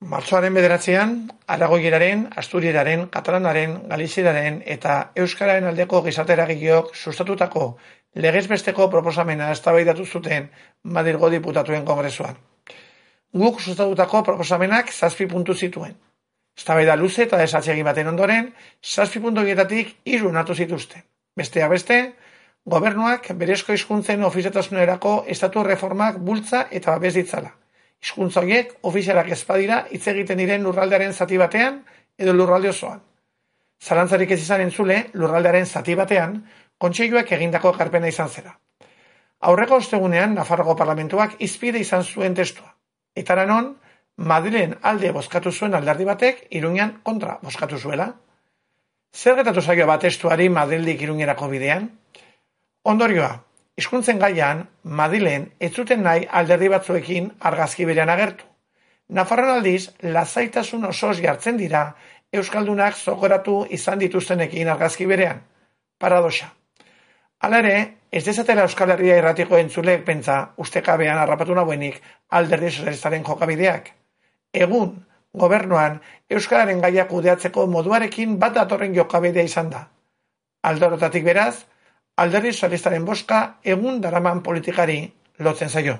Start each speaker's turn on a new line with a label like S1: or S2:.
S1: Martxoaren 9an, aragoieraren, asturieraren, katalanaren, galizieraren eta euskararen aldeko gizarte eragileok sustatutako legez besteko proposamena eztabaidatu zuten Madrilgo Diputatuen Kongresuan. Guk sustatutako proposamenak 7 puntu zituen. Eztabaida luze eta desatsegin baten ondoren, 7 puntu horietatik 3 onartu zituzten. Besteak beste, gobernuak berezko hizkuntzen ofizialtasunerako estatu erreformak bultza eta babes ditzala. Hizkuntza horiek ofizialak ez badira hitz egiten diren lurraldearen zati batean edo lurralde osoan. Zalantzarik ez izan entzule, lurraldearen zati batean, kontseiluak egindako ekarpena izan zera. Aurreko ostegunean, Nafarroko Parlamentuak hizpide izan zuen testua. Eta non, Madrilen alde bozkatu zuen alderdi batek, Iruñan kontra bozkatu zuela. Zer gertatu zaio bat testuari Madrildik Iruñerako bidean? Ondorioa, hizkuntzen gaian, Madrilen ez zuten nahi alderdi batzuekin argazki berean agertu. Nafarroan aldiz, lasaitasun osoz jartzen dira euskaldunak zogoratu izan dituztenekin argazki berean. Paradoxa. Hala ere, ez dezatela Euskal Herria irratiko entzuleek pentsa ustekabean harrapatu nagoenik alderdi sozialistaren jokabideak. Egun, gobernuan, euskararen gaia kudeatzeko moduarekin bat datorren jokabidea izan da. Alde horretatik beraz, alderdi sozialistaren bozka egun daraman politikari lotzen zaio.